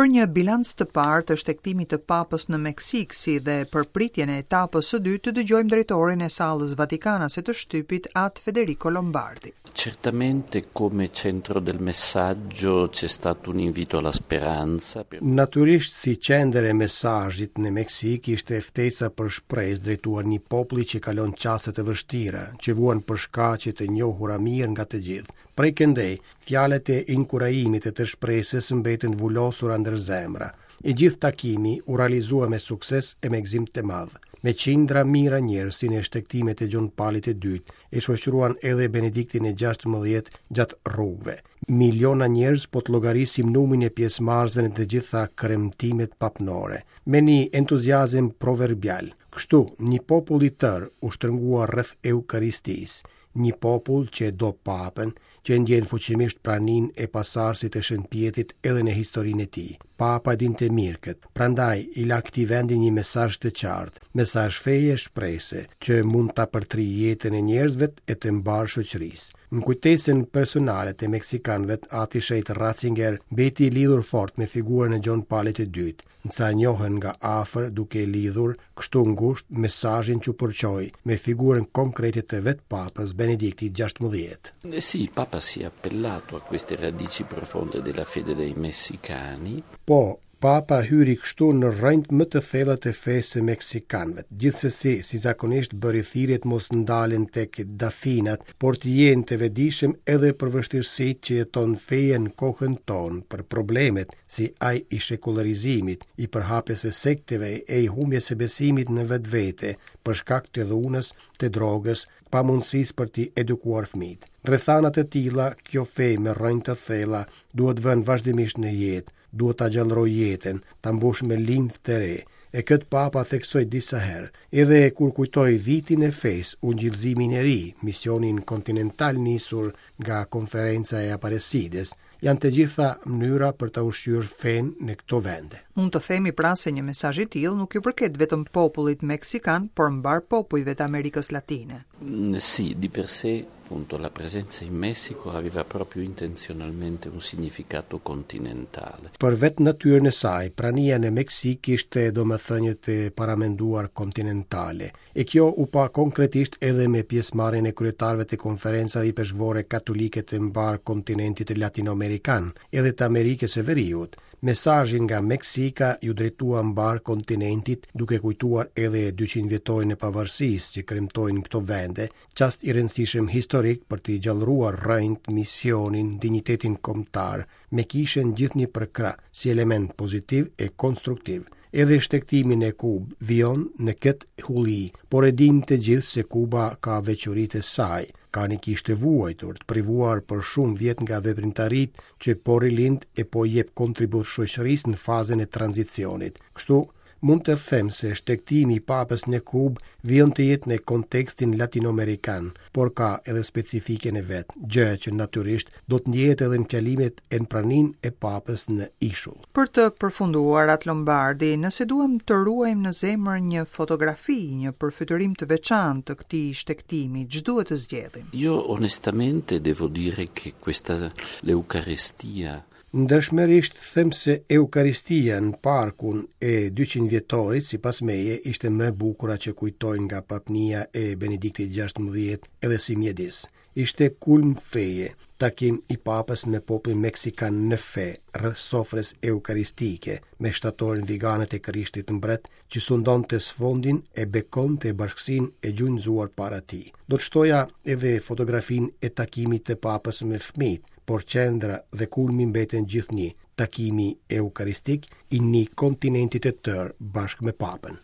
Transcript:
Për një bilanc të parë të shtegtimit të Papës në Meksikë si dhe për pritjen e etapës së dytë të dëgjojmë drejtorin e Sallës Vatikanase të Shtypit, At Federico Lombardi. Certamente come centro del messaggio c'è stato un invito alla speranza. Natyrisht si qendër e mesazhit në Meksikë ishte ftesa për shpresë drejtuar një populli që kalon çaste të vështira, që vuan për shkaqe të njohura mirë nga të gjithë. Prej këndej, Fjalët e inkurajimit e të shpresës mbetën të vulosura ndër zemra. I gjithë takimi u realizua me sukses e me gëzim të madh. Me qindra mijëra njerëz si në shtegtimet e Gjon Palit të Dytë, e shoqëruan edhe Benediktin e 16 gjatë rrugëve. Miliona njerëz po të llogarisim numrin e pjesëmarrësve në të gjitha kremtimet papnore, me një entuziazëm proverbial. Kështu, një popull i tërë u shtrëngua rreth Eukaristisë. Një popull që e do Papën, që e ndjen fuqimisht praninë e pasardhësit të Shën Pjetrit edhe në historinë e tij. Papa e dinte mirë këtë, prandaj i la këtij vendi një mesazh të qartë, mesazh feje e shprese, që mund ta përtrijë jetën e njerëzve e të mbarë shoqërisë. Në kujtesën personale të meksikanëve, Ati i Shenjtë Ratzinger mbeti i lidhur fort me figurën e Gjon Palit të Dytë, Disa e njohën nga afër duke e lidhur kështu ngushtë mesazhin që përçoi me figurën konkrete të vetë Papës Benedikti XVI. Sì, il Papa si è appellato a queste radici profonde della fede dei messicani. Po, Papa hyri kështu në rrënjët më të thella të fesë së meksikanëve. Gjithsesi, si zakonisht bëri thirrje të mos ndalen tek dafinat, por të jenë të vetëdijshëm edhe për vështirësitë që jeton feja në kohën tonë, për problemet, si ai i shekullarizimit, i përhapjes së sekteve e i humbjes së besimit në vetvete, për shkak të dhunës, të drogës, pamundësisë për t'i edukuar fëmijët. Në rrethana të tilla, kjo fe me rrënjë të thella duhet vënë vazhdimisht në jetë, duhet ta gjallërojë jetën, ta mbushë me limfë të re. E këtë Papa theksoi disa herë, edhe kur kujtoi vitin e fesë, ungjillëzimin e ri, misionin kontinental nisur nga Konferenca e Aparecides, Janë të gjitha mënyra për ta ushqyer fenë në këto vende. Mund të themi pra se një mesazh i tillë nuk i përket vetëm popullit meksikan, por mbarë popujve të Amerikës Latine. Sì, di per sé, appunto, la presenza in Messico aveva proprio intenzionalmente un significato continentale. Për vetë natyrën e saj, prania në Meksikë kishte domethënie të paramenduar kontinentale. E kjo u pa konkretisht edhe me pjesëmarrjen e kryetarëve të konferencave ipeshkvore katolike të mbarë kontinentit latinoamerikan, edhe të Amerikës së Veriut. Mesazhi nga Meksika iu drejtua mbarë kontinentit, duke kujtuar edhe 200 vjetorin e pavarësisë që kremtojnë këto vende, çast i rëndësishëm historik për t'i gjallëruar rrënjët, misionin, dinjitetin kombëtar, me kishën gjithnjë përkrah, si element pozitiv e konstruktiv. Edhe shtegtimi në Kubë vijon në këtë hulli, por e dimë të gjithë se Kuba ka veçoritë e saj, ka një kishë të vuajtur, të privuar për shumë vjet nga veprimtaritë që po rilind e po i jep kontribut shoqërisë në fazën e tranzicionit. Kështu, mund të them se shtegtimi i Papës në Kubë vijon të jetë në kontekstin latinoamerikan, por ka edhe specifikën e vet, gjë që natyrisht do të ndjehet edhe në fjalimet e në praninë e Papës në ishull. Për të përfunduar, At Lombardi, nëse duam të ruajmë në zemër një fotografi, një përfytyrim të veçantë të këtij shtegtimi, ç'duhet të zgjedhim? Io onestamente devo dire che questa l'Eucarestia Ndershmërisht them se Eukaristia në parkun e 200 vjetorit, sipas meje, ishte më e bukura që kujtoj nga papnia e Benediktit XVI edhe si mjedis. Ishte kulm feje, takim i Papës me popullin meksikan në fe, rreth sofrës eukaristike, me shtatoren vigane të Krishtit Mbret, që sundonte sfondin e bekonte bashkësinë e gjunjëzuar para tij. Do të shtoja edhe fotografinë e takimit të Papës me fëmijët, por qendra dhe kulmi mbeten gjithnjë, takimi eukaristik i një kontinenti të tërë bashkë me Papën.